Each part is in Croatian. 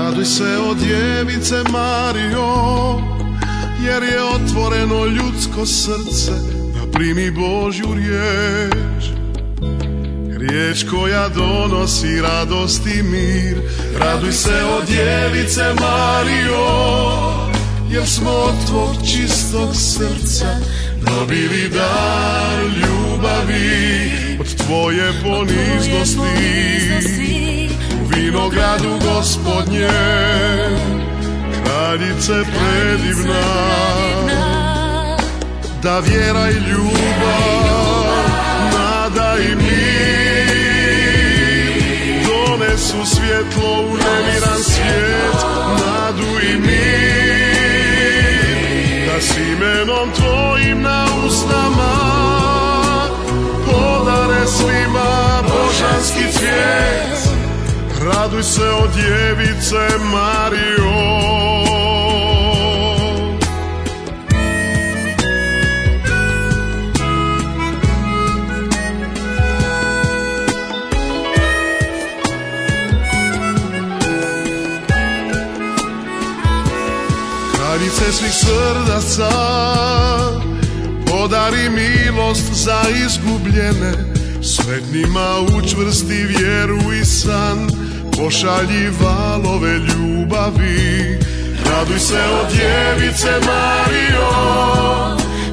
Raduj se o djevice Marijo, jer je otvoreno ljudsko srce da primi Božju riječ. Riječ koja donosi radost i mir. Raduj se o djevice Marijo, jer smo od tvog čistog srca dobili dar ljubavi. Od tvoje poniznosti u vinogradu Gospodnje, kraljice predivna, da vjera i ljubav, nada i mir donesu svjetlo u nemiran svijet, nadu i mir, da s imenom tvojim na usnama podare svima božanski cvijet. Raduj se o djevice Marijo. Kraljice svih srdaca, podari milost za izgubljene, sretnima učvrsti vjeru i san, pošalji valove ljubavi. Raduj se o djevice Marijo,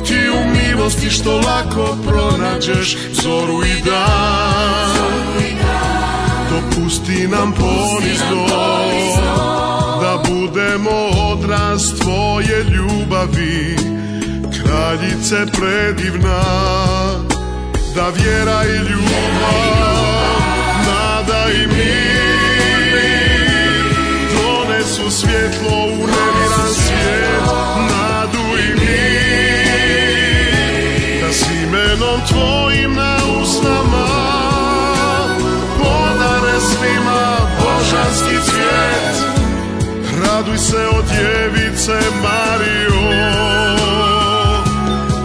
ti u milosti što lako pronađeš zoru i dan. Dopusti nam ponizno da budemo odraz tvoje ljubavi, kraljice predivna, da vjera i ljubav, nada i mir donesu svjetlo u nemiran svijet, nadu i mir, da s imenom tvojim na usnama podare svima božanski cvijet. Raduj se o djevice Marijo,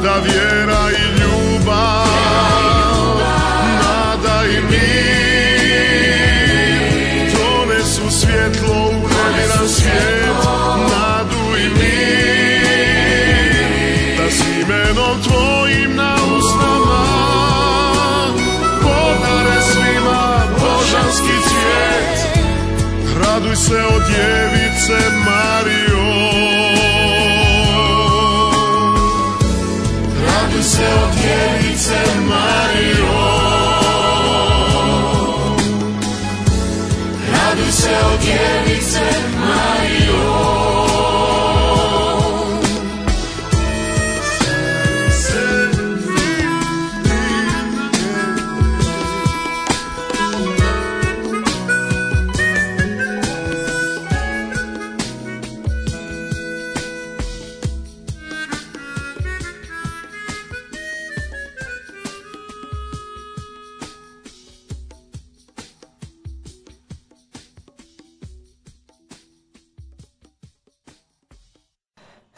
da vjera i ljubav, nada i mir donesu svjetlo u nemiran svijet, nadu i mir, da s imenom tvojim na usnama podare svima božanski cvijet. Raduj se o djevice Marijo. Raduj se o djevice Marijo. Raduj se o djevice Marijo.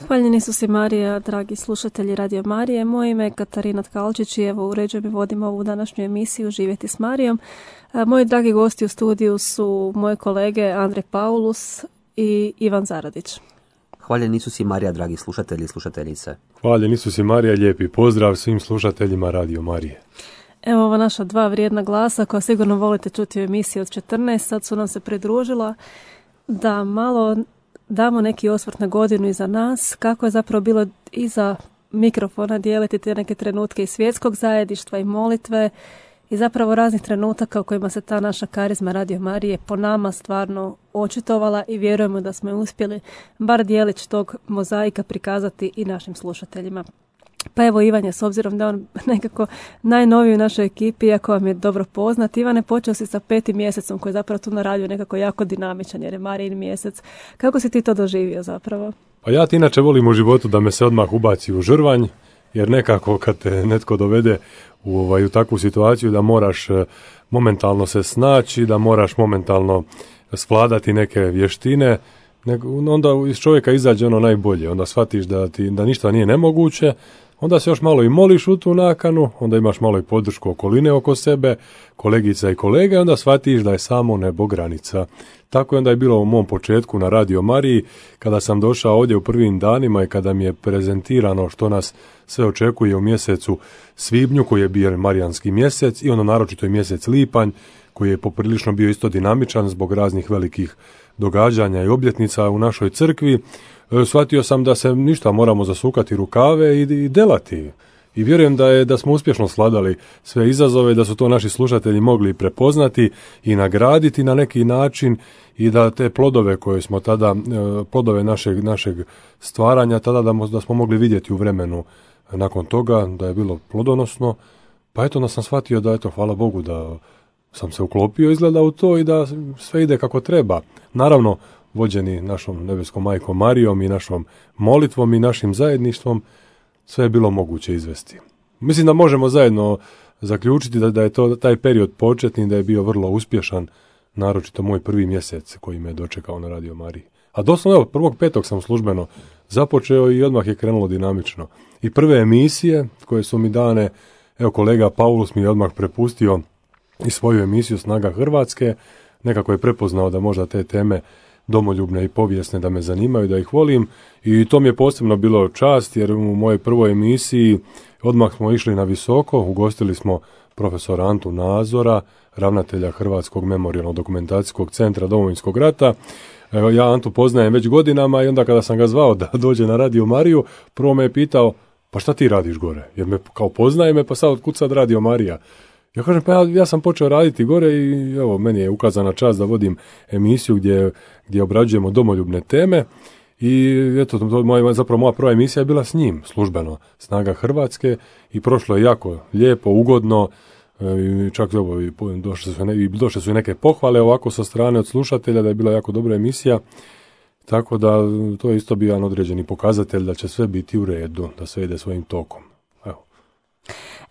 Hvaljeni Isus i Marija, dragi slušatelji Radio Marije. Moje ime je Katarina Tkalčić i evo uređujem i vodim ovu današnju emisiju Živjeti s Marijom. Moji dragi gosti u studiju su moje kolege Andrej Paulus i Ivan Zaradić. Hvaljen Isus i Marija, dragi slušatelji i slušateljice. Hvaljen Isus i Marija, lijepi pozdrav svim slušateljima Radio Marije. Evo ova naša dva vrijedna glasa koja sigurno volite čuti u emisiji od 14, sad su nam se pridružila da malo damo neki osvrt na godinu iza nas, kako je zapravo bilo iza mikrofona dijeliti te neke trenutke iz svjetskog zajedništva i molitve i zapravo raznih trenutaka u kojima se ta naša karizma Radio Marije po nama stvarno očitovala i vjerujemo da smo uspjeli bar dijelić tog mozaika prikazati i našim slušateljima. Pa evo Ivan, s obzirom da on nekako najnoviji u našoj ekipi, iako vam je dobro poznat, Ivane, počeo si sa 5. mjesecom koji je zapravo tu na radiju nekako jako dinamičan jer je Marijin mjesec. Kako si ti to doživio zapravo? Pa ja ti inače volim u životu da me se odmah ubaci u žrvanj, jer nekako kad te netko dovede u takvu situaciju da moraš momentalno se snaći, da moraš momentalno svladati neke vještine, onda iz čovjeka izađe ono najbolje, onda shvatiš da ništa nije nemoguće, onda se još malo i moliš u tu nakanu, onda imaš malo i podršku okoline oko sebe, kolegica i kolega, i onda shvatiš da je samo nebo granica. Tako je onda je bilo u mom početku na Radio Mariji, kada sam došao ovdje u prvim danima i kada mi je prezentirano što nas sve očekuje u mjesecu svibnju, koji je bio marijanski mjesec, i ono naročito i mjesec lipanj, koji je poprilično bio isto dinamičan zbog raznih velikih događanja i obljetnica u našoj crkvi. Shvatio sam da se ništa moramo zasukati rukave i delati. I vjerujem da smo uspješno svladali sve izazove, da su to naši slušatelji mogli prepoznati i nagraditi na neki način, i da te plodove koje smo tada, plodove našeg stvaranja tada da smo mogli vidjeti u vremenu nakon toga, da je bilo plodonosno. Pa eto, da sam shvatio da eto, hvala Bogu da sam se uklopio izgleda u to i da sve ide kako treba. Naravno, vođeni našom nebeskom majkom Marijom i našom molitvom i našim zajedništvom, sve je bilo moguće izvesti. Mislim da možemo zajedno zaključiti da je to taj period početni, da je bio vrlo uspješan, naročito moj prvi mjesec koji me je dočekao na Radio Mariji. A doslovno, evo, 1.5. sam službeno započeo i odmah je krenulo dinamično. I prve emisije koje su mi dane, evo, kolega Paulus mi je odmah prepustio i svoju emisiju Snaga Hrvatske, nekako je prepoznao da možda te teme domoljubne i povijesne da me zanimaju, da ih volim, i to mi je posebno bilo čast, jer u mojoj prvoj emisiji odmah smo išli na visoko, ugostili smo profesora Antu Nazora, ravnatelja Hrvatskog memorijalno-dokumentacijskog centra Domovinskog rata. Ja Antu poznajem već godinama i onda kada sam ga zvao da dođe na Radio Mariju, prvo me je pitao, pa šta ti radiš gore? Jer me kao poznaje me, pa sad otkud sad Radio Marija? Ja kažem, pa ja sam počeo raditi gore i evo, meni je ukazana čast da vodim emisiju gdje obrađujemo domoljubne teme, i eto, zapravo moja prva emisija je bila s njim, službeno, Snaga Hrvatske, i prošlo je jako lijepo, ugodno, i čak evo, došle su i neke pohvale ovako sa strane od slušatelja da je bila jako dobra emisija, tako da to je isto bio jedan određeni pokazatelj da će sve biti u redu, da sve ide svojim tokom.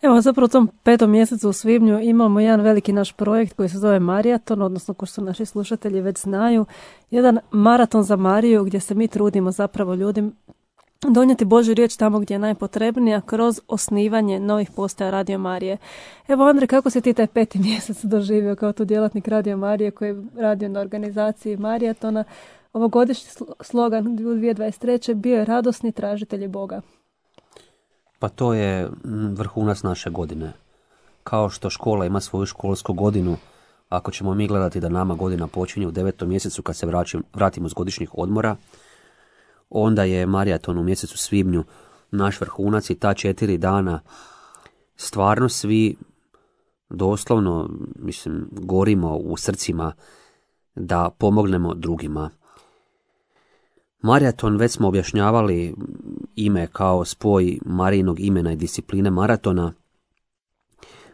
Evo, zapravo u tom 5. mjesecu u svibnju imamo jedan veliki naš projekt koji se zove Marijaton, odnosno ko što naši slušatelji već znaju, jedan maraton za Mariju gdje se mi trudimo zapravo ljudima donijeti Božju riječ tamo gdje je najpotrebnija kroz osnivanje novih postaja Radio Marije. Evo, Andrej, kako si ti taj 5. mjesec doživio kao tu djelatnik Radio Marije koji je radio na organizaciji Marijatona? Ovogodišnji slogan 2023. bio je radosni tražitelji Boga. Pa to je vrhunac naše godine. Kao što škola ima svoju školsku godinu, ako ćemo mi gledati da nama godina počinje u 9. mjesecu kad se vratimo s godišnjih odmora, onda je Marijaton u mjesecu svibnju naš vrhunac, i ta 4 dana stvarno svi doslovno, gorimo u srcima da pomognemo drugima. Marijaton, već smo objašnjavali ime kao spoj Marijinog imena i discipline maratona,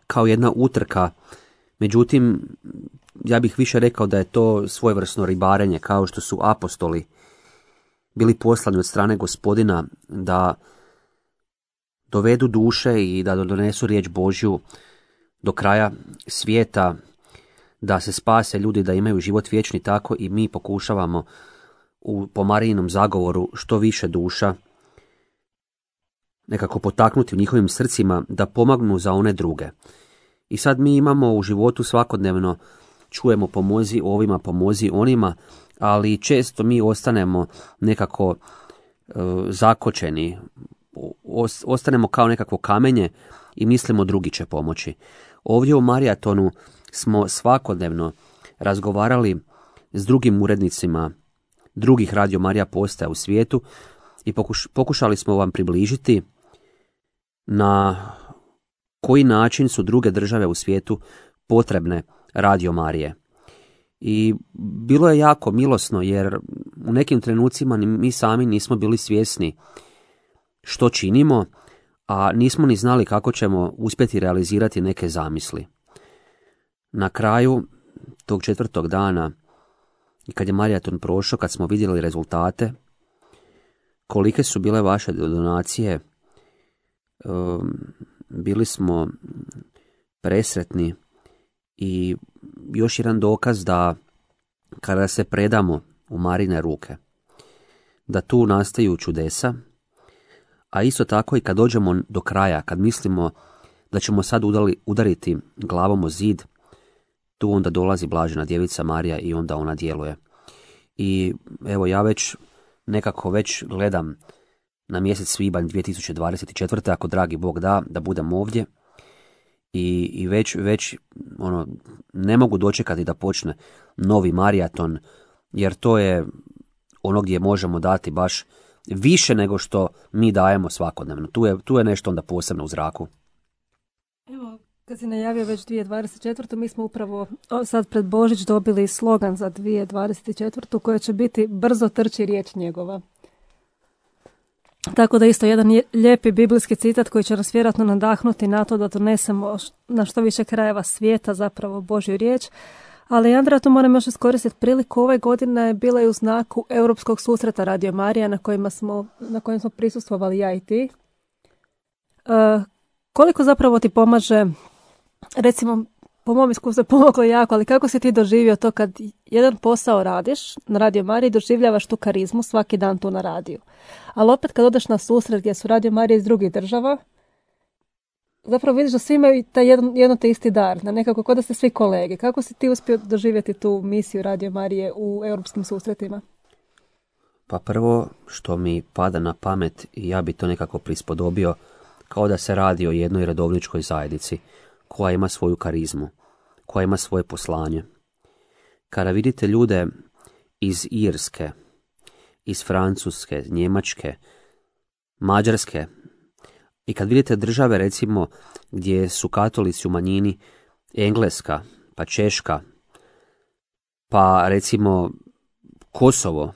kao jedna utrka, međutim, ja bih više rekao da je to svojevrsno ribarenje, kao što su apostoli bili poslani od strane Gospodina da dovedu duše i da donesu riječ Božju do kraja svijeta, da se spase ljudi, da imaju život vječni, tako i mi pokušavamo po Marijinom zagovoru što više duša nekako potaknuti u njihovim srcima da pomagnu za one druge. I sad mi imamo u životu svakodnevno, čujemo pomozi ovima, pomozi onima, ali često mi ostanemo nekako zakočeni, ostanemo kao nekakvo kamenje i mislimo drugi će pomoći. Ovdje u Marijatonu smo svakodnevno razgovarali s drugim urednicima drugih Radio Marija postaja u svijetu i pokušali smo vam približiti na koji način su druge države u svijetu potrebne Radio Marije. I bilo je jako milosno, jer u nekim trenucima mi sami nismo bili svjesni što činimo, a nismo ni znali kako ćemo uspjeti realizirati neke zamisli. Na kraju tog 4. dana, i kad je Marijaton prošao, kad smo vidjeli rezultate, kolike su bile vaše donacije, bili smo presretni, i još jedan dokaz da kada se predamo u Marine ruke, da tu nastaju čudesa, A isto tako i kad dođemo do kraja, kad mislimo da ćemo sad udariti glavom o zid, tu onda dolazi Blažena djevica Marija i onda ona djeluje. I evo ja nekako već gledam na mjesec svibanj 2024. ako dragi Bog da budem ovdje i već ne mogu dočekati da počne novi maraton, jer to je ono gdje možemo dati baš više nego što mi dajemo svakodnevno. Tu je nešto onda posebno u zraku. Evo, kad si najavio već 2024. mi smo upravo sad pred Božić dobili slogan za 2024. koja će biti brzo trči riječ njegova. Tako da isto jedan lijepi biblijski citat koji će nas vjerojatno nadahnuti na to da donesemo na što više krajeva svijeta zapravo Božju riječ. Ali Andreja, tu moram još iskoristiti priliku. Ove godine je bila i u znaku Europskog susreta Radio Marija na kojem smo prisustvovali ja i ti. Koliko zapravo ti pomaže, recimo po mom iskustvu je pomoglo jako, ali kako si ti doživio to kad jedan posao radiš na Radio Mariji, doživljavaš tu karizmu svaki dan tu na radiju. Ali opet kad odeš na susret gdje su Radio Marije iz drugih država, zapravo vidiš da svi imaju taj jedno te isti dar, na nekako kod da ste svi kolege. Kako si ti uspio doživjeti tu misiju Radio Marije u europskim susretima? Pa prvo što mi pada na pamet, i ja bi to nekako prispodobio, kao da se radi o jednoj redovničkoj zajednici koja ima svoju karizmu, koja ima svoje poslanje. Kada vidite ljude iz Irske, iz Francuske, Njemačke, Mađarske, i kad vidite države recimo gdje su katolici u manjini, Engleska, pa Češka, pa recimo Kosovo,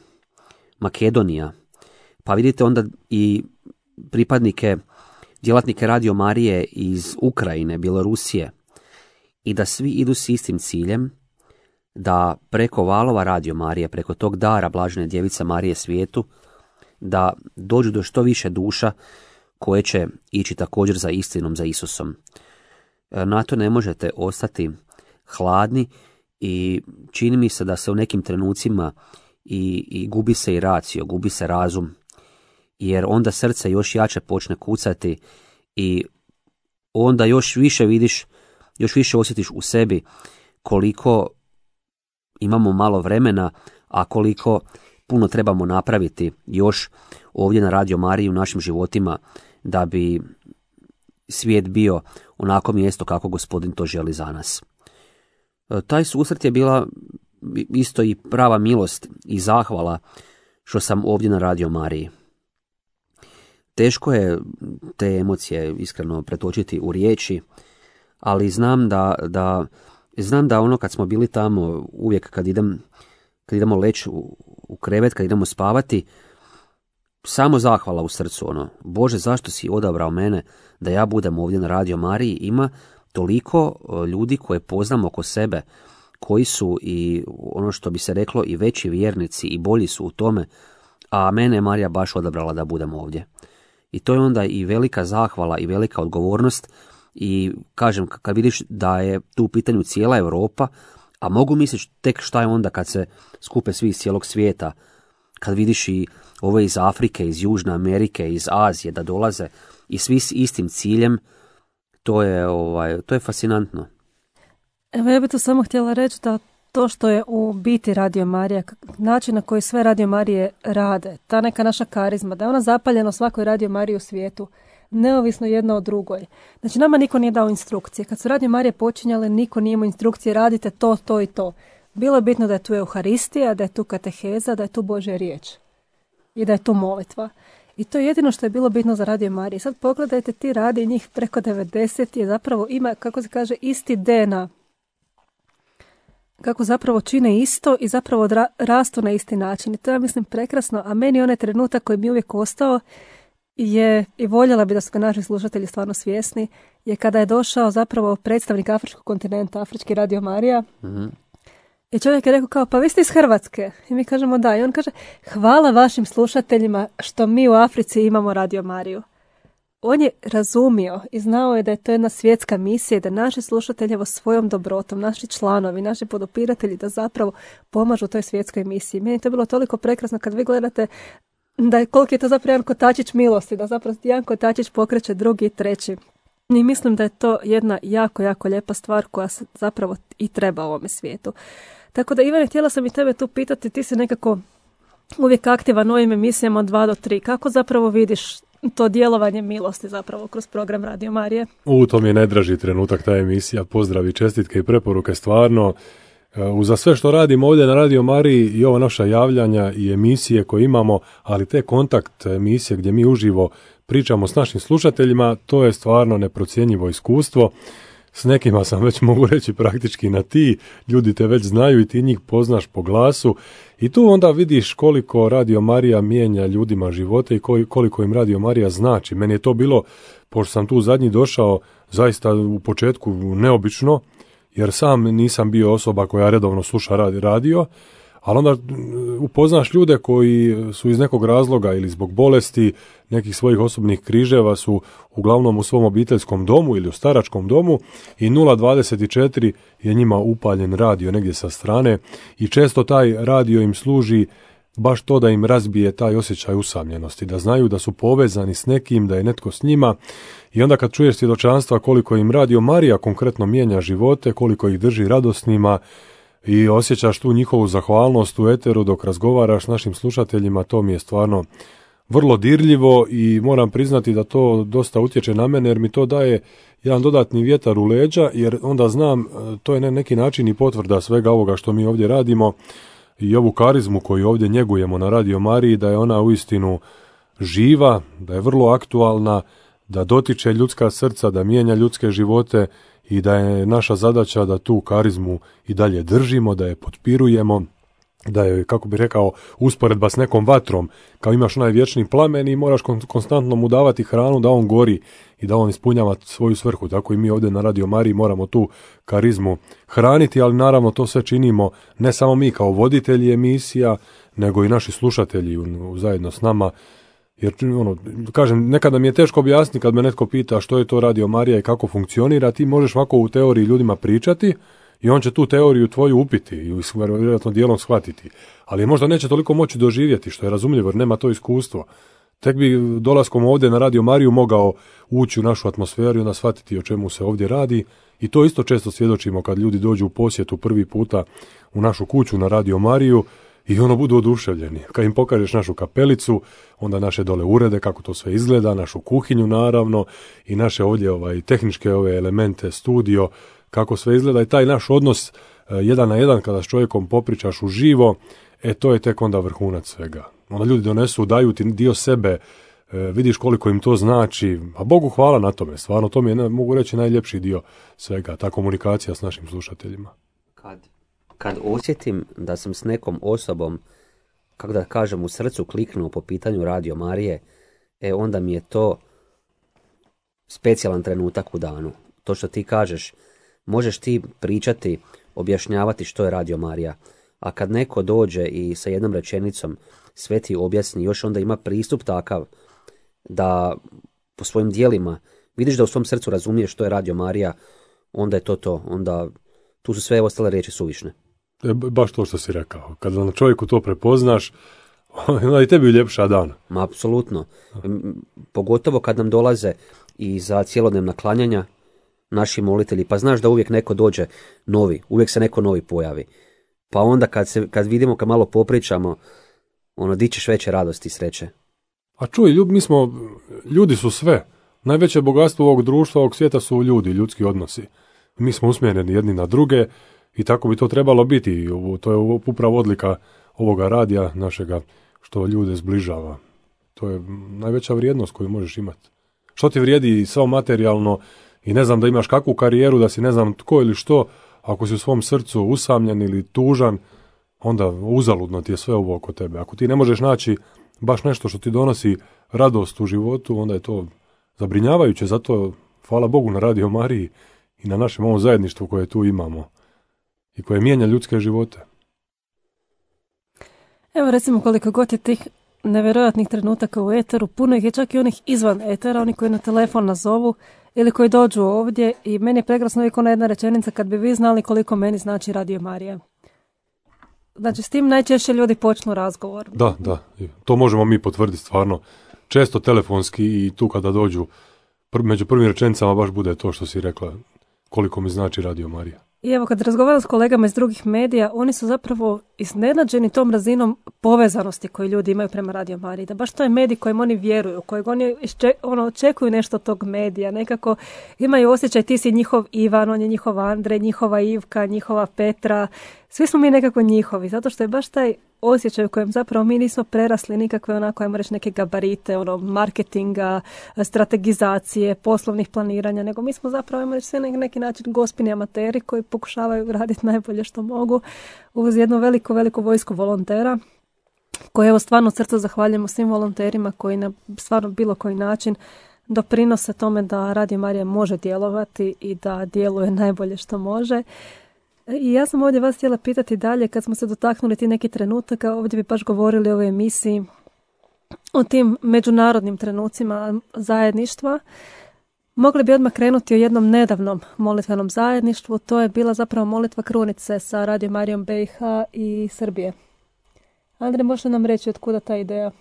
Makedonija, pa vidite onda i pripadnike, djelatnike Radio Marije iz Ukrajine, Bjelorusije, i da svi idu s istim ciljem, da preko valova Radio Marije, preko tog dara Blažene djevice Marije svijetu, da dođu do što više duša koje će ići također za istinom, za Isusom. Na to ne možete ostati hladni i čini mi se da se u nekim trenucima i gubi se i racio, gubi se razum, jer onda srce još jače počne kucati i onda još više vidiš, još više osjetiš u sebi koliko imamo malo vremena, a koliko puno trebamo napraviti još ovdje na Radio Mariji u našim životima da bi svijet bio onako mjesto kako Gospodin to želi za nas. Taj susret je bila isto i prava milost i zahvala što sam ovdje na Radio Mariji. Teško je te emocije iskreno pretočiti u riječi, ali znam da ono kad smo bili tamo, uvijek kad idemo leći u krevet, kad idemo spavati, samo zahvala u srcu, Bože, zašto si odabrao mene da ja budem ovdje na Radio Mariji? Ima toliko ljudi koje poznam oko sebe, koji su i ono što bi se reklo i veći vjernici i bolji su u tome, a mene je Marija baš odabrala da budem ovdje. I to je onda i velika zahvala i velika odgovornost, i kažem, kad vidiš da je tu u pitanju cijela Europa, a mogu misliti tek šta je onda kad se skupe svi iz cijelog svijeta, kad vidiš i ove iz Afrike, iz Južne Amerike, iz Azije da dolaze i svi s istim ciljem, to je fascinantno. Evo, ja bih to samo htjela reći da to što je u biti Radio Marija, način na koji sve Radio Marije rade, ta neka naša karizma, da je ona zapaljena u svakoj Radio Mariji u svijetu, neovisno jedna od drugoj. Znači, nama niko nije dao instrukcije. Kad su Radio Marije počinjale, niko nije imao instrukcije, radite to, to i to. Bilo je bitno da je tu Euharistija, da je tu kateheza, da je tu Božja riječ i da je tu molitva. I to je jedino što je bilo bitno za Radio Marije. Sad pogledajte, ti radi, njih preko 90 je zapravo ima, kako se kaže, isti DNA. Kako zapravo čine isto i zapravo rastu na isti način. I to je, mislim, prekrasno. A meni onaj trenutak koji mi uvijek ostao je, i voljela bi da su ga naši slušatelji stvarno svjesni, je kada je došao zapravo predstavnik Afričkog kontinenta, Afrički Radio Marija. Mm-hmm. I čovjek je rekao kao, pa vi ste iz Hrvatske. I mi kažemo da. I on kaže, hvala vašim slušateljima što mi u Africi imamo Radio Mariju. On je razumio i znao je da je to jedna svjetska misija i da naši slušatelji svojom dobrotom, naši članovi, naši podupiratelji da zapravo pomažu toj svjetskoj misiji. Meni je to bilo toliko prekrasno kad vi gledate da je koliki je to zapravo jedan kotačić milosti, da zapravo jedan kotačić pokreće drugi i treći. I mislim da je to jedna jako, jako lijepa stvar koja se zapravo i treba u ovome svijetu. Tako da, Ivane, htjela sam i tebe tu pitati, ti si nekako uvijek aktivan u ovim emisijama od 2 do 3. Kako zapravo vidiš to djelovanje milosti zapravo kroz program Radio Marije? To mi je najdraži trenutak, ta emisija. Pozdravi, čestitke i preporuke, stvarno. Uza sve što radimo ovdje na Radio Mariji i ova naša javljanja i emisije koje imamo, ali te kontakt emisije gdje mi uživo pričamo s našim slušateljima, to je stvarno neprocjenjivo iskustvo. S nekima sam već, mogu reći, praktički na ti, ljudi te već znaju i ti njih poznaš po glasu i tu onda vidiš koliko Radio Marija mijenja ljudima živote i koliko im Radio Marija znači. Meni je to bilo, pošto sam tu zadnji došao, zaista u početku neobično, jer sam nisam bio osoba koja redovno sluša radio, ali onda upoznaš ljude koji su iz nekog razloga ili zbog bolesti, nekih svojih osobnih križeva su uglavnom u svom obiteljskom domu ili u staračkom domu i 024 je njima upaljen radio negdje sa strane i često taj radio im služi baš to da im razbije taj osjećaj usamljenosti, da znaju da su povezani s nekim, da je netko s njima i onda kad čuješ svjedočanstva koliko im Radio Marija konkretno mijenja živote, koliko ih drži radosnima i osjećaš tu njihovu zahvalnost u eteru dok razgovaraš s našim slušateljima, to mi je stvarno vrlo dirljivo i moram priznati da to dosta utječe na mene jer mi to daje jedan dodatni vjetar u leđa jer onda znam, to je na neki način i potvrda svega ovoga što mi ovdje radimo i ovu karizmu koju ovdje njegujemo na Radio Mariji, da je ona uistinu živa, da je vrlo aktualna, da dotiče ljudska srca, da mijenja ljudske živote i da je naša zadaća da tu karizmu i dalje držimo, da je potpirujemo, da je, kako bih rekao, usporedba s nekom vatrom, kao imaš onaj vječni plamen i moraš konstantno mu davati hranu da on gori i da on ispunjava svoju svrhu. Tako i mi ovdje na Radio Mariji moramo tu karizmu hraniti, ali naravno to sve činimo ne samo mi kao voditelji emisija, nego i naši slušatelji zajedno s nama. Jer, kažem, nekada mi je teško objasniti kad me netko pita što je to Radio Marija i kako funkcionira, ti možeš ovako u teoriji ljudima pričati i on će tu teoriju tvoju upiti i vjerojatno dijelom shvatiti. Ali možda neće toliko moći doživjeti, što je razumljivo jer nema to iskustvo. Tek bi dolaskom ovdje na Radio Mariju mogao ući u našu atmosferu i onda shvatiti o čemu se ovdje radi. I to isto često svjedočimo kad ljudi dođu u posjetu prvi puta u našu kuću na Radio Mariju i budu oduševljeni. Kad im pokažeš našu kapelicu, onda naše dole urede, kako to sve izgleda, našu kuhinju naravno i naše ovdje tehničke elemente, studio, kako sve izgleda i taj naš odnos 1 na 1 kada s čovjekom popričaš uživo, to je tek onda vrhunac svega. Onda ljudi donesu, daju ti dio sebe, vidiš koliko im to znači, a Bogu hvala na tome, stvarno to mi je, mogu reći, najljepši dio svega, ta komunikacija s našim slušateljima. Kad osjetim da sam s nekom osobom, kako da kažem, u srcu kliknuo po pitanju Radio Marije, onda mi je to specijalan trenutak u danu. To što ti kažeš, možeš ti pričati, objašnjavati što je Radio Marija, a kad neko dođe i sa jednom rečenicom sve ti objasni, još onda ima pristup takav da po svojim dijelima vidiš da u svom srcu razumiješ što je Radio Marija, onda je to, onda tu su sve ostale riječi suvišne. Baš to što si rekao. Kad na čovjeku to prepoznaš, onda i tebi uljepša dan. Ma, apsolutno. Pogotovo kad nam dolaze i za cjelodnevna klanjanja naši molitelji, pa znaš da uvijek neko dođe novi, uvijek se neko novi pojavi. Pa onda kad vidimo, kad malo popričamo, dičeš veće radosti i sreće. A čuj, ljudi su sve. Najveće bogatstvo ovog društva, ovog svijeta su ljudi, ljudski odnosi. Mi smo usmjereni jedni na druge i tako bi to trebalo biti. To je upravo odlika ovoga radija našega, što ljude zbližava. To je najveća vrijednost koju možeš imati. Što ti vrijedi samo materijalno i ne znam da imaš kakvu karijeru, da si ne znam tko ili što, ako si u svom srcu usamljen ili tužan, onda uzaludno ti je sve ovo oko tebe. Ako ti ne možeš naći baš nešto što ti donosi radost u životu, onda je to zabrinjavajuće. Zato hvala Bogu na Radio Mariji i na našem ovom zajedništvu koje tu imamo i koje mijenja ljudske živote. Evo recimo koliko god je tih nevjerojatnih trenutaka u eteru, puno ih je čak i onih izvan etera, oni koji na telefon nazovu ili koji dođu ovdje i meni je prekrasno uvijek ona jedna rečenica: kad bi vi znali koliko meni znači Radio Marija. Znači, s tim najčešće ljudi počnu razgovor. Da. To možemo mi potvrditi stvarno. Često telefonski i tu kada dođu među prvim rečenicama baš bude to što si rekla, koliko mi znači Radio Marija. I evo, kad razgovaram s kolegama iz drugih medija, oni su zapravo iznenađeni tom razinom povezanosti koju ljudi imaju prema Radio Mariji. Da baš to je medij kojem oni vjeruju, kojeg oni očekuju nešto od tog medija. Nekako imaju osjećaj, ti si njihov Ivan, on je njihov Andrej, njihova Ivka, njihova Petra. Svi smo mi nekako njihovi, zato što je baš taj osjećaj u kojem zapravo mi nismo prerasli nikakve onako, ajmo reći, neke gabarite, marketinga, strategizacije, poslovnih planiranja, nego mi smo zapravo, ajmo reći, sve na neki način gospini amateri koji pokušavaju raditi najbolje što mogu uz jednu veliku vojsku volontera, koje evo stvarno od srca zahvaljujemo svim volonterima koji na stvarno bilo koji način doprinose tome da Radio Marija može djelovati i da djeluje najbolje što može. I ja sam ovdje vas htjela pitati dalje, kad smo se dotaknuli ti neki trenutaka, ovdje bi baš govorili o ovoj emisiji, o tim međunarodnim trenucima zajedništva. Mogli bi odmah krenuti o jednom nedavnom molitvenom zajedništvu, to je bila zapravo molitva krunice sa Radio Marijom BiH i Srbije. Andrej, možete nam reći od kuda ta ideja?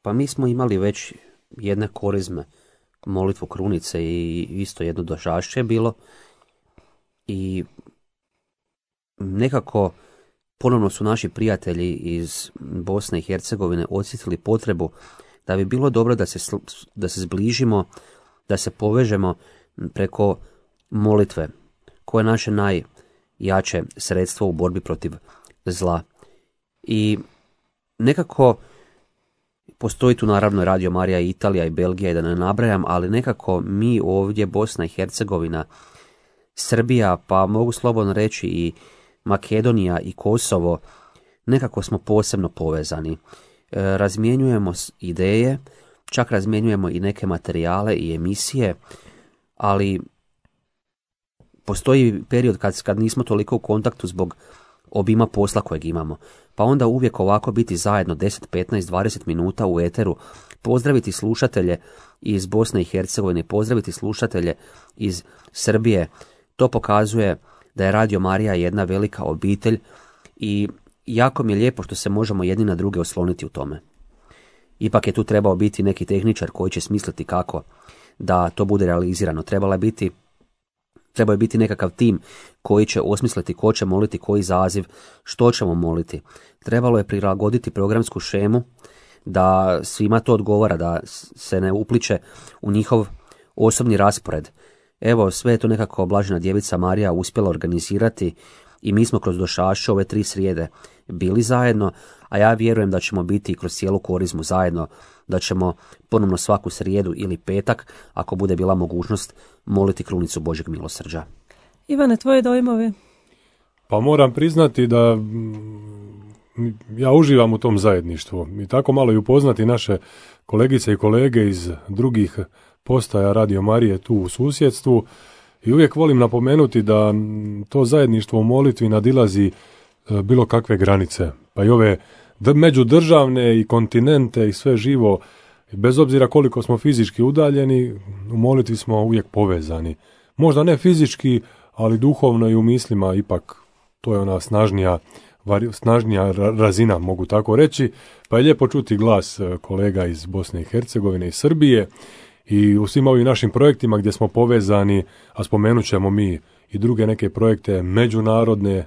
Pa mi smo imali već jedne korizme molitvu krunice i isto jedno dožašće je bilo i nekako ponovno su naši prijatelji iz Bosne i Hercegovine osjetili potrebu da bi bilo dobro da se zbližimo, da se povežemo preko molitve, koje je naše najjače sredstvo u borbi protiv zla. I nekako postoji tu naravno Radio Marija i Italija i Belgija i da ne nabrajam, ali nekako mi ovdje Bosna i Hercegovina, Srbija, pa mogu slobodno reći i Makedonija i Kosovo, nekako smo posebno povezani. Razmjenjujemo ideje, čak razmjenjujemo i neke materijale i emisije, ali postoji period kad nismo toliko u kontaktu zbog obima posla kojeg imamo. Pa onda uvijek ovako biti zajedno 10, 15, 20 minuta u eteru, pozdraviti slušatelje iz Bosne i Hercegovine, pozdraviti slušatelje iz Srbije, to pokazuje da je Radio Marija jedna velika obitelj i jako mi je lijepo što se možemo jedni na druge osloniti u tome. Ipak je tu trebao biti neki tehničar koji će smisliti kako da to bude realizirano. Trebao je biti nekakav tim koji će osmisliti ko će moliti, koji zaziv, što ćemo moliti. Trebalo je prilagoditi programsku šemu da svima to odgovara, da se ne upliče u njihov osobni raspored. Evo, sve je to nekako Blažena Djevica Marija uspjela organizirati i mi smo kroz došašće ove 3 srijede bili zajedno, a ja vjerujem da ćemo biti kroz cijelu korizmu zajedno, da ćemo ponovno svaku srijedu ili petak, ako bude bila mogućnost, moliti krunicu Božjeg milosrđa. Ivane, tvoje dojmovi? Pa moram priznati da ja uživam u tom zajedništvu i tako malo i upoznati naše kolegice i kolege iz drugih postaja Radio Marije tu u susjedstvu i uvijek volim napomenuti da to zajedništvo u molitvi nadilazi bilo kakve granice, pa i ove međudržavne i kontinente i sve živo, bez obzira koliko smo fizički udaljeni, u molitvi smo uvijek povezani. Možda ne fizički, ali duhovno i u mislima ipak to je ona snažnija razina, mogu tako reći, pa je lijepo čuti glas kolega iz Bosne i Hercegovine i Srbije i u svim ovim našim projektima gdje smo povezani, a spomenut ćemo mi i druge neke projekte međunarodne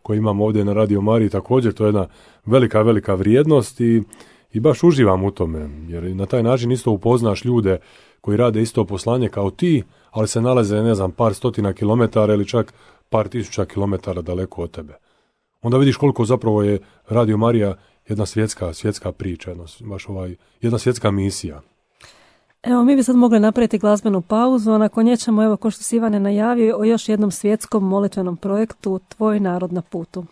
koje imamo ovdje na Radio Mariji, također to je jedna velika vrijednost i baš uživam u tome, jer na taj način isto upoznaš ljude koji rade isto poslanje kao ti, ali se nalaze, ne znam, par stotina kilometara ili čak par tisuća kilometara daleko od tebe. Onda vidiš koliko zapravo je Radio Marija jedna svjetska priča, jedna svjetska misija. Evo, mi bi sad mogli napraviti glazbenu pauzu, a nakon nje ćemo, evo, ko što si Ivane najavio, o još jednom svjetskom molitvenom projektu Tvoj narod na putu.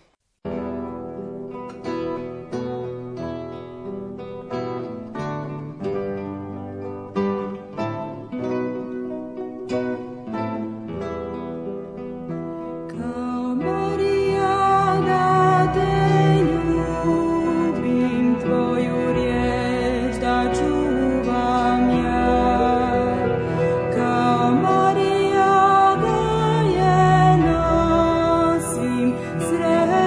Sre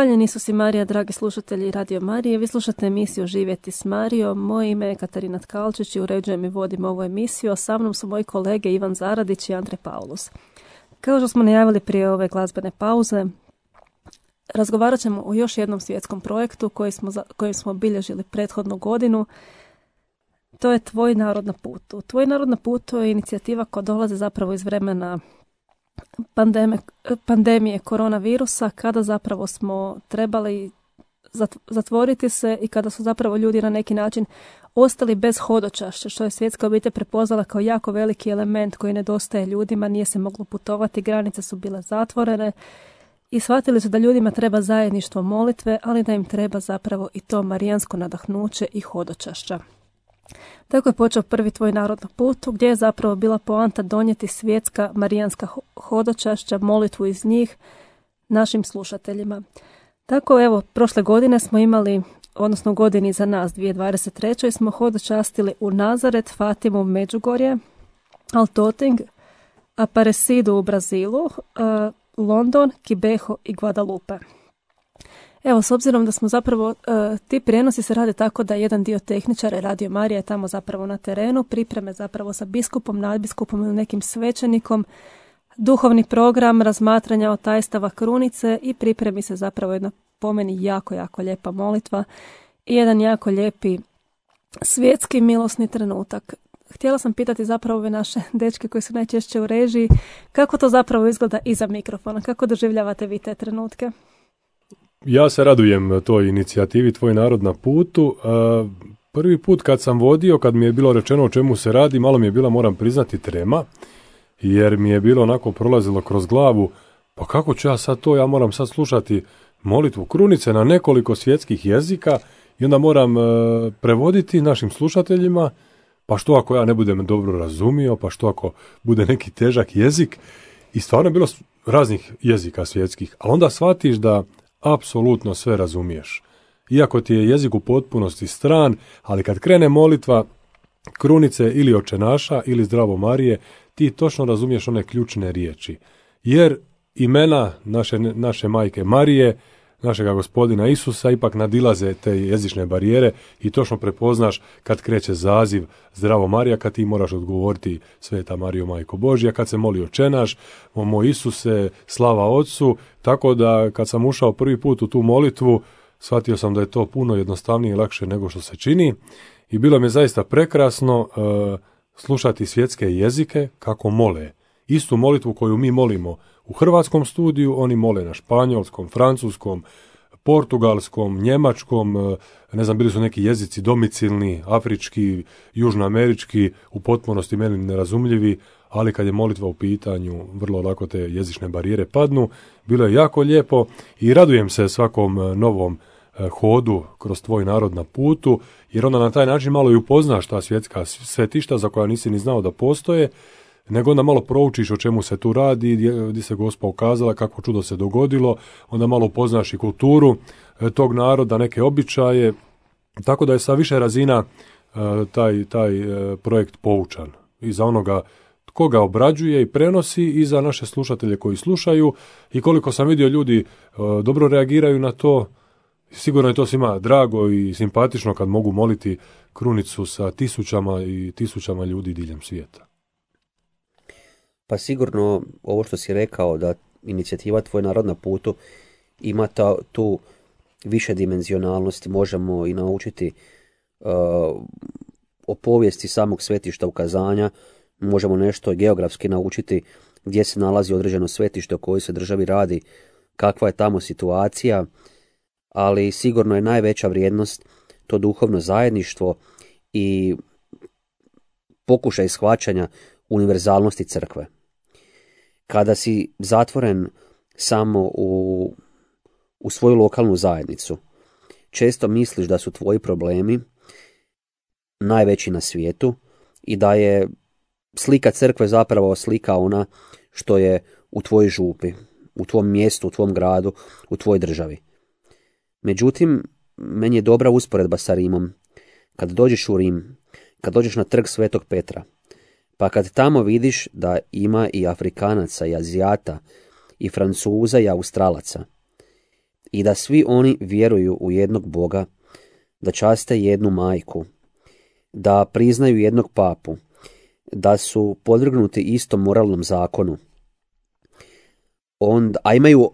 Hvaljeni Isus i Marija, dragi slušatelji Radio Marije. Vi slušate emisiju Živjeti s Marijom. Moje ime je Katarina Tkalčić i uređujem i vodim ovu emisiju. Sa mnom su moji kolege Ivan Zaradić i Andre Paulus. Kao što smo najavili prije ove glazbene pauze, razgovarat ćemo o još jednom svjetskom projektu koji smo obilježili prethodnu godinu. To je Tvoj narod na putu. Tvoj narod na putu je inicijativa koja dolazi zapravo iz vremena pandemije koronavirusa, kada zapravo smo trebali zatvoriti se i kada su zapravo ljudi na neki način ostali bez hodočašća, što je svjetska obitelj prepoznala kao jako veliki element koji nedostaje ljudima, nije se moglo putovati, granice su bile zatvorene i shvatili su da ljudima treba zajedništvo molitve, ali da im treba zapravo i to marijansko nadahnuće i hodočašća. Tako je počeo prvi Tvoj narod na putu, gdje je zapravo bila poanta donijeti svjetska marijanska hodočašća, molitvu iz njih našim slušateljima. Tako evo, prošle godine smo imali, odnosno godini za nas, 2023. smo hodočastili u Nazaret, Fatimu, Međugorje, Altoting, Aparecidu u Brazilu, London, Kibeho i Guadalupe. Evo, s obzirom da smo zapravo, ti prijenosi se rade tako da jedan dio tehničara Radio Marija je tamo zapravo na terenu, pripreme zapravo sa biskupom, nadbiskupom ili nekim svećenikom, duhovni program, razmatranja otajstava krunice i pripremi se zapravo jedna po meni jako, jako lijepa molitva i jedan jako lijepi svjetski milosni trenutak. Htjela sam pitati zapravo ove naše dečke koji su najčešće u režiji, kako to zapravo izgleda iza mikrofona, kako doživljavate vi te trenutke? Ja se radujem toj inicijativi Tvoj narod na putu. Prvi put kad sam vodio, kad mi je bilo rečeno o čemu se radi, malo mi je bila, moram priznati, trema, jer mi je bilo onako prolazilo kroz glavu, pa kako ću ja sad to, ja moram sad slušati molitvu krunice na nekoliko svjetskih jezika i onda moram prevoditi našim slušateljima, pa što ako ja ne budem dobro razumio, pa što ako bude neki težak jezik. I stvarno je bilo raznih jezika svjetskih, ali onda shvatiš da apsolutno sve razumiješ. Iako ti je jezik u potpunosti stran, ali kad krene molitva krunice ili očenaša ili zdravo Marije, ti točno razumiješ one ključne riječi. Jer imena naše majke Marije, našega gospodina Isusa ipak nadilaze te jezične barijere i točno prepoznaš kad kreće zaziv zdravo Marija, kad ti moraš odgovoriti Sveta Marijo, majko Božja, kad se moli očenaš, o moj Isuse, slava Otcu, tako da kad sam ušao prvi put u tu molitvu, shvatio sam da je to puno jednostavnije i lakše nego što se čini i bilo mi je zaista prekrasno slušati svjetske jezike kako mole. Istu molitvu koju mi molimo u hrvatskom studiju, oni mole na španjolskom, francuskom, portugalskom, njemačkom, ne znam, bili su neki jezici domicilni, afrički, južnoamerički, u potpunosti meni nerazumljivi, ali kad je molitva u pitanju, vrlo lako te jezične barijere padnu. Bilo je jako lijepo i radujem se svakom novom hodu kroz Tvoj narod na putu, jer onda na taj način malo i upoznaš ta svjetska svetišta za koja nisi ni znao da postoje, nego onda malo proučiš o čemu se tu radi, gdje se Gospa ukazala, kako čudo se dogodilo, onda malo upoznaš i kulturu tog naroda, neke običaje, tako da je sa više razina taj projekt poučan. I za onoga tko ga obrađuje i prenosi i za naše slušatelje koji slušaju i koliko sam vidio ljudi dobro reagiraju na to, sigurno je to svima drago i simpatično kad mogu moliti krunicu sa tisućama i tisućama ljudi diljem svijeta. Pa sigurno ovo što si rekao da inicijativa Tvoj narod na putu ima tu više dimenzionalnosti, možemo i naučiti o povijesti samog svetišta ukazanja, možemo nešto geografski naučiti gdje se nalazi određeno svetište, o kojoj se državi radi, kakva je tamo situacija, ali sigurno je najveća vrijednost to duhovno zajedništvo i pokušaj shvaćanja univerzalnosti crkve. Kada si zatvoren samo u svoju lokalnu zajednicu, često misliš da su tvoji problemi najveći na svijetu i da je slika crkve zapravo slika ona što je u tvojoj župi, u tvom mjestu, u tvom gradu, u tvojoj državi. Međutim, meni je dobra usporedba sa Rimom. Kad dođeš u Rim, kad dođeš na trg Svetog Petra, pa kad tamo vidiš da ima i Afrikanaca, i Azijata, i Francuza, i Australaca, i da svi oni vjeruju u jednog Boga, da časte jednu majku, da priznaju jednog papu, da su podvrgnuti istom moralnom zakonu,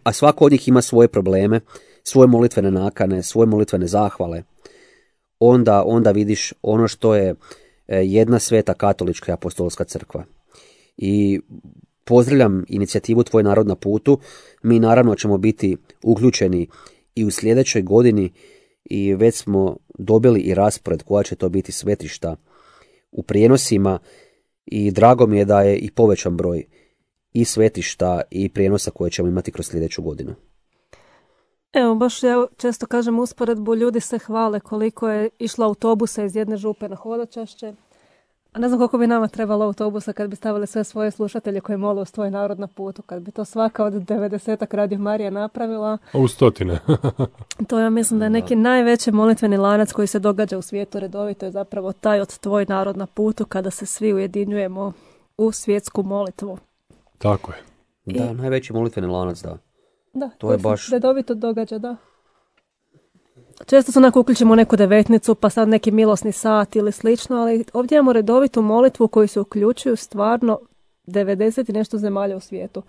a svako od njih ima svoje probleme, svoje molitvene nakane, svoje molitvene zahvale, onda vidiš ono što je jedna sveta katolička i apostolska crkva. I pozdravljam inicijativu Tvoj narod na putu. Mi naravno ćemo biti uključeni i u sljedećoj godini i već smo dobili i raspored koja će to biti svetišta u prijenosima i drago mi je da je i povećan broj i svetišta i prijenosa koje ćemo imati kroz sljedeću godinu. Evo, baš ja često kažem usporedbu, ljudi se hvale koliko je išlo autobusa iz jedne župe na hodočašće. A ne znam koliko bi nama trebalo autobusa kad bi stavili sve svoje slušatelje koji mole uz Tvoj narod na putu. Kad bi to svaka od 90-ak Radio Marija napravila. U stotine. To ja mislim da je neki najveći molitveni lanac koji se događa u svijetu redovito je zapravo taj od Tvoj narod na putu kada se svi ujedinjujemo u svjetsku molitvu. Tako je. Da, najveći molitveni lanac, da. Da, to je baš redovito događa, da. Često se onako uključimo u neku devetnicu, pa sad neki milosni sat ili slično, ali ovdje imamo redovitu molitvu koju se uključuju stvarno 90 i nešto zemalja u svijetu.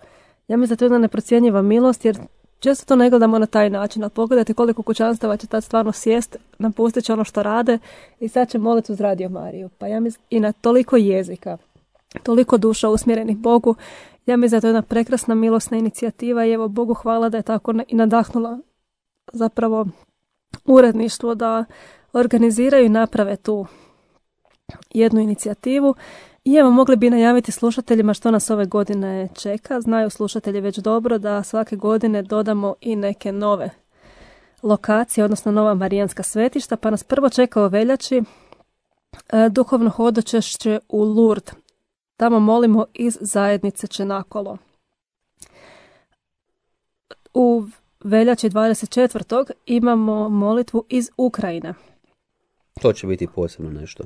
Ja mislim da to je jedna neprocjenjiva milost, jer često to ne gledamo na taj način, ali pogledajte koliko kućanstava će tad stvarno sjest, napustit će ono što rade i sad će moliti uz Radio Mariju. Pa ja mislim i na toliko jezika, toliko duša usmjerenih Bogu, ja mislim da je to jedna prekrasna milosna inicijativa i evo Bogu hvala da je tako i nadahnula zapravo uredništvo da organiziraju i naprave tu jednu inicijativu. I evo mogli bi najaviti slušateljima što nas ove godine čeka. Znaju slušatelji već dobro da svake godine dodamo i neke nove lokacije, odnosno nova marijanska svetišta, pa nas prvo čeka u veljači duhovno hodočašće u Lourdes. Tamo molimo iz zajednice Čenakolo. U veljači 24. imamo molitvu iz Ukrajine. To će biti posebno nešto.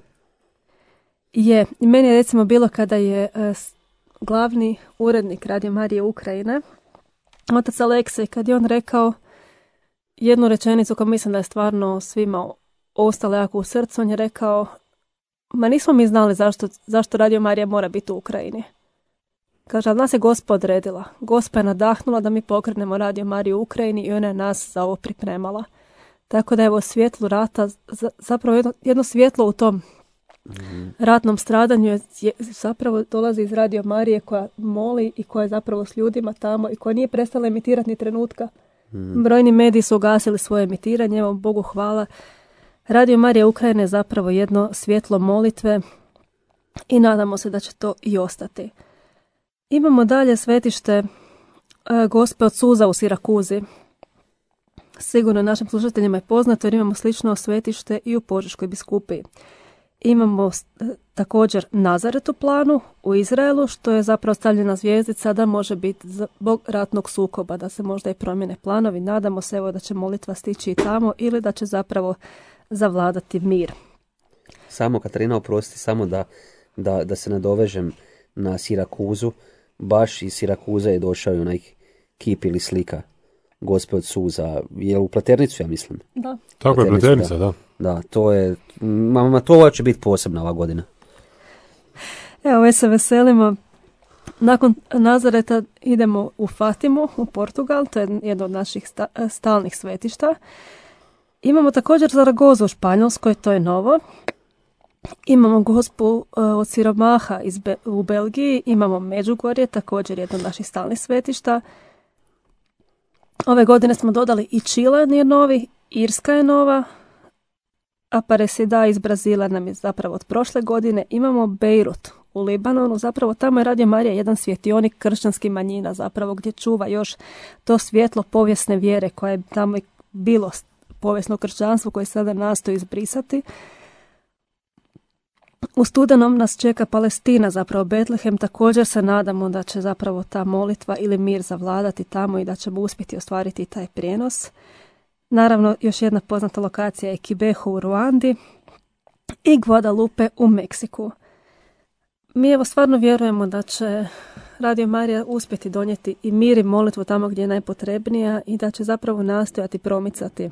Je, meni je recimo bilo kada je glavni urednik Radio Marije Ukrajine, otac Aleksej, kad je on rekao jednu rečenicu koju mislim da je stvarno svima ostala jako u srcu, on je rekao, ma nismo mi znali zašto Radio Marija mora biti u Ukrajini. Kaže, ali nas je Gospa odredila. Gospa je nadahnula da mi pokrenemo Radio Mariju u Ukrajini i ona je nas za ovo pripremala. Tako da evo svjetlu rata, zapravo jedno svjetlo u tom ratnom stradanju zapravo dolazi iz Radio Marije koja moli i koja je zapravo s ljudima tamo i koja nije prestala emitirati ni trenutka. Brojni mediji su ugasili svoje emitiranje, evo Bogu hvala. Radio Marija Ukrajine je zapravo jedno svjetlo molitve i nadamo se da će to i ostati. Imamo dalje svetište Gospe od suza u Sirakuzi. Sigurno našim slušateljima je poznato jer imamo slično svetište i u Požeškoj biskupiji. Imamo također Nazaret u planu u Izraelu, što je zapravo stavljena zvijezdica da može biti zbog ratnog sukoba, da se možda i promjene planovi. Nadamo se evo da će molitva stići i tamo ili da će zapravo zavladati mir. Samo, Katarina, oprosti, samo da se nadovežem na Sirakuzu. Baš iz Sirakuza je došao i onaj kip ili slika Gospe od suza. Je u Pleternicu, ja mislim? Da. Tako je, Pleternica, da. Da, to je, to će biti posebna ova godina. Evo, već se veselimo. Nakon Nazareta idemo u Fatimu, u Portugal, to je jedno od naših stalnih svetišta. Imamo također Zaragozu u Španjolskoj, to je novo. Imamo Gospu od siromaha u Belgiji, imamo Međugorje, također jedno od naših stalnih svetišta. Ove godine smo dodali i Čile je novi, Irska je nova, Aparecida iz Brazila nam je zapravo od prošle godine. Imamo Beirut u Libanonu, zapravo tamo je Radio Marija jedan svjetionik kršćanskih manjina, zapravo gdje čuva još to svjetlo povijesne vjere koje je tamo bilo povijesno kršćanstvo koje sada nastoji izbrisati. U studenom nas čeka Palestina, zapravo Betlehem, također se nadamo da će zapravo ta molitva ili mir zavladati tamo i da ćemo uspjeti ostvariti taj prijenos. Naravno, još jedna poznata lokacija je Kibeho u Ruandi i Guadalupe u Meksiku. Mi evo stvarno vjerujemo da će Radio Marija uspjeti donijeti i mir i molitvu tamo gdje je najpotrebnija i da će zapravo nastojati promicati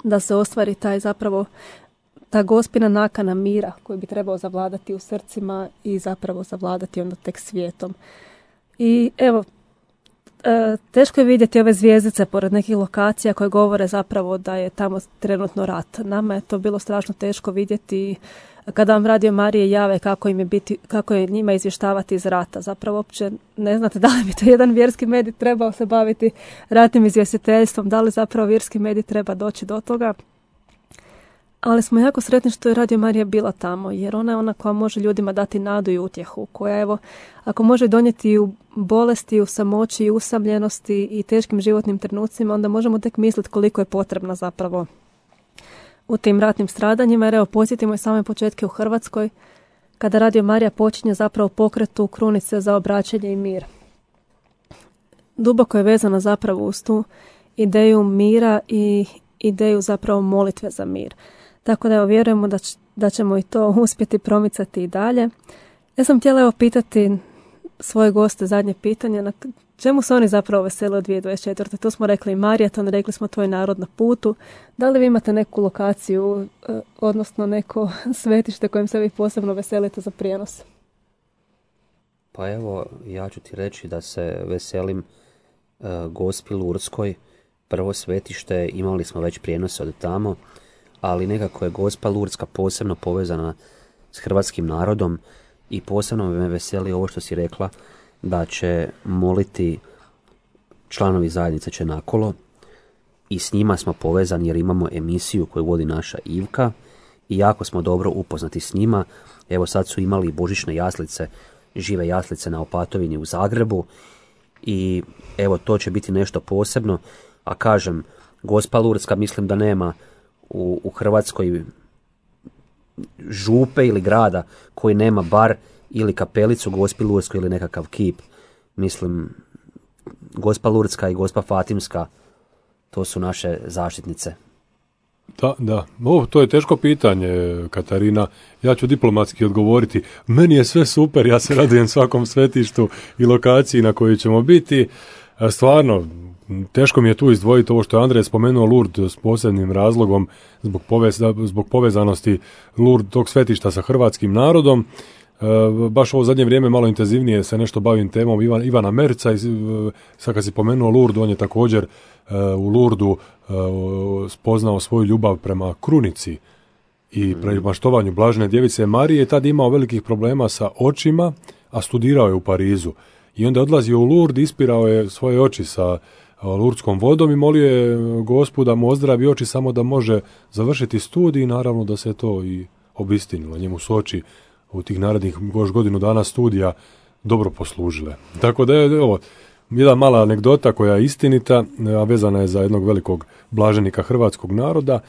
da se ostvari taj zapravo ta gospina nakana mira koji bi trebao zavladati u srcima i zapravo zavladati onda tek svijetom. I evo, teško je vidjeti ove zvjezdice pored nekih lokacija koje govore zapravo da je tamo trenutno rat. Nama je to bilo strašno teško vidjeti kada vam Radio Marije jave kako je njima izvještavati iz rata. Zapravo uopće ne znate da li bi to jedan vjerski medij trebao se baviti ratnim izvjestiteljstvom, da li zapravo vjerski medij treba doći do toga. Ali smo jako sretni što je Radio Marija bila tamo, jer ona je ona koja može ljudima dati nadu i utjehu, koja evo, ako može donijeti u bolesti, u samoći i usamljenosti i teškim životnim trenucima, onda možemo tek misliti koliko je potrebna zapravo u tim ratnim stradanjima, jer evo, podsjetimo i same početke u Hrvatskoj, kada Radio Marija počinje zapravo pokretu krunice za obraćanje i mir. Duboko je vezana zapravo uz tu ideju mira i ideju zapravo molitve za mir. Tako da evo, vjerujemo da ćemo i to uspjeti promicati i dalje. Ja sam htjela evo pitati svoje goste zadnje pitanje, na čemu se oni zapravo vesele od 2024. Tu smo rekli maraton, rekli smo tvoj narod na putu. Da li vi imate neku lokaciju, odnosno neko svetište kojim se vi posebno veselite za prijenos? Pa evo, ja ću ti reći da se veselim Gospi Lurdskoj. Prvo svetište, imali smo već prijenose od tamo, ali nekako je Gospa Lurdska posebno povezana s hrvatskim narodom i posebno me veseli ovo što si rekla, da će moliti članovi zajednice Čenakolo i s njima smo povezani jer imamo emisiju koju vodi naša Ivka i jako smo dobro upoznati s njima. Evo sad su imali božićne jaslice, žive jaslice na Opatovini u Zagrebu i evo to će biti nešto posebno. A kažem, Gospa Lurdska mislim da nema u Hrvatskoj župe ili grada koji nema bar ili kapelicu Gospi Lurdskoj ili nekakav kip. Mislim, Gospa Lurdska i Gospa Fatimska, to su naše zaštitnice. Da. To je teško pitanje, Katarina. Ja ću diplomatski odgovoriti. Meni je sve super, ja se radujem svakom svetištu i lokaciji na kojoj ćemo biti. Stvarno, teško mi je tu izdvojiti ovo što je Andrej spomenuo Lourdes s posebnim razlogom zbog povezanosti Lourdes tog svetišta sa hrvatskim narodom. Baš ovo zadnje vrijeme malo intenzivnije se nešto bavim temom Ivana Merca i sad kad si pomenuo Lourdes, on je također u Lourdesu spoznao svoju ljubav prema krunici i prema štovanju Blažene djevice Marije i tad imao velikih problema sa očima, a studirao je u Parizu. I onda je odlazio u Lourdes, ispirao je svoje oči sa lurdskom vodom i molio je Gospu da mu ozdravi oči samo da može završiti studij i naravno da se to i obistinilo. Njemu su oči u tih narednih godinu dana studija dobro poslužile. Tako da je ovo jedna mala anegdota koja je istinita, a vezana je za jednog velikog blaženika hrvatskog naroda.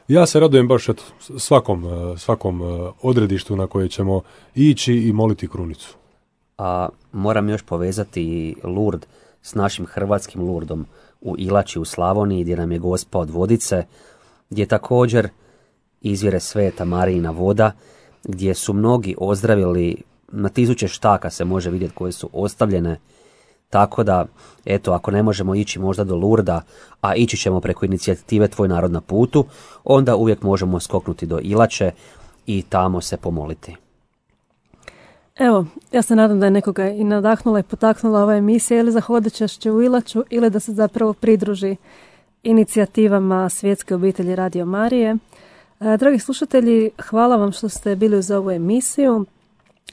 Ja se radujem baš svakom odredištu na koje ćemo ići i moliti krunicu. A moram još povezati Lourdes s našim hrvatskim Lourdom u Ilači u Slavoniji, gdje nam je Gospa od Vodice, gdje također izvire Sveta Marijina voda, gdje su mnogi ozdravili, na tisuće štaka se može vidjeti koje su ostavljene, tako da, eto, ako ne možemo ići možda do Lourdesa, a ići ćemo preko inicijative Tvoj narod na putu, onda uvijek možemo skoknuti do Ilače i tamo se pomoliti. Evo, ja se nadam da je nekoga i nadahnula i potaknula ova emisija ili za hodočašće u Ilaču ili da se zapravo pridruži inicijativama Svjetske obitelji Radio Marije. Dragi slušatelji, hvala vam što ste bili uz ovu emisiju.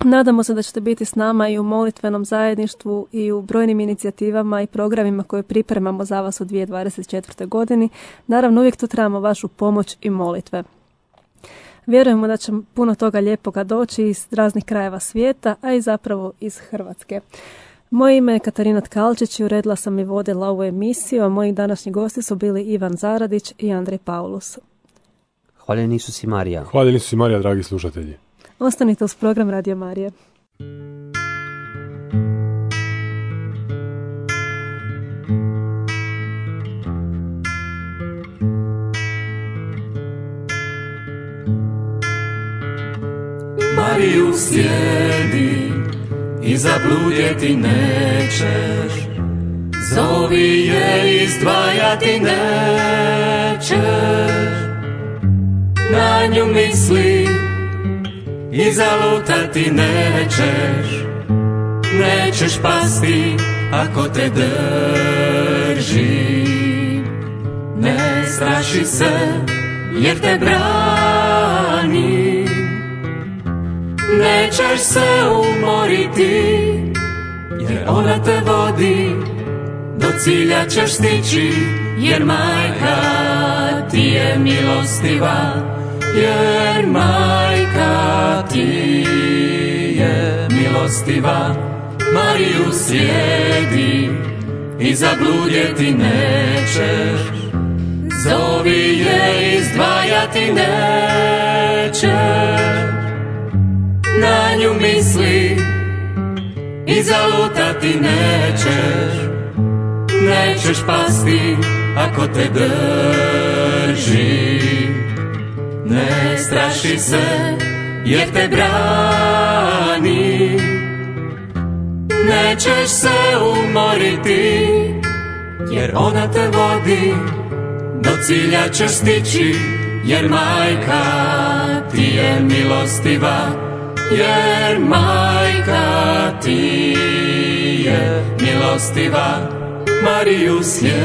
Nadamo se da ćete biti s nama i u molitvenom zajedništvu i u brojnim inicijativama i programima koje pripremamo za vas u 2024. godini. Naravno, uvijek tu trebamo vašu pomoć i molitve. Vjerujemo da će puno toga lijepoga doći iz raznih krajeva svijeta, a i zapravo iz Hrvatske. Moje ime je Katarina Tkalčić i uredila sam i vodila ovu emisiju, a moji današnji gosti su bili Ivan Zaradić i Andrej Paulus. Hvaljen Isus i Marija. Hvaljen Isus i Marija, dragi slušatelji. Ostanite uz program Radio Marije. Mariju slijedi i zabludjeti nećeš. Zovi je, izdvajati nećeš. Na nju misli i zalutati nećeš. Nećeš pasti ako te drži. Ne straši se jer te brani. Nećeš se umoriti jer ona te vodi. Do cilja ćeš stići jer majka ti je milostiva. Jer majka ti je milostiva. Mariju slijedi i zabludjeti nećeš. Zovi je, izdvajati nećeš. Na nju misli i zalutati nećeš. Nećeš pasti ako te drži. Ne straši se jer te brani. Nećeš se umoriti jer ona te vodi. Do cilja ćeš stići jer majka ti je milostiva. Jer majka ti je milostiva. Mariju slijedi.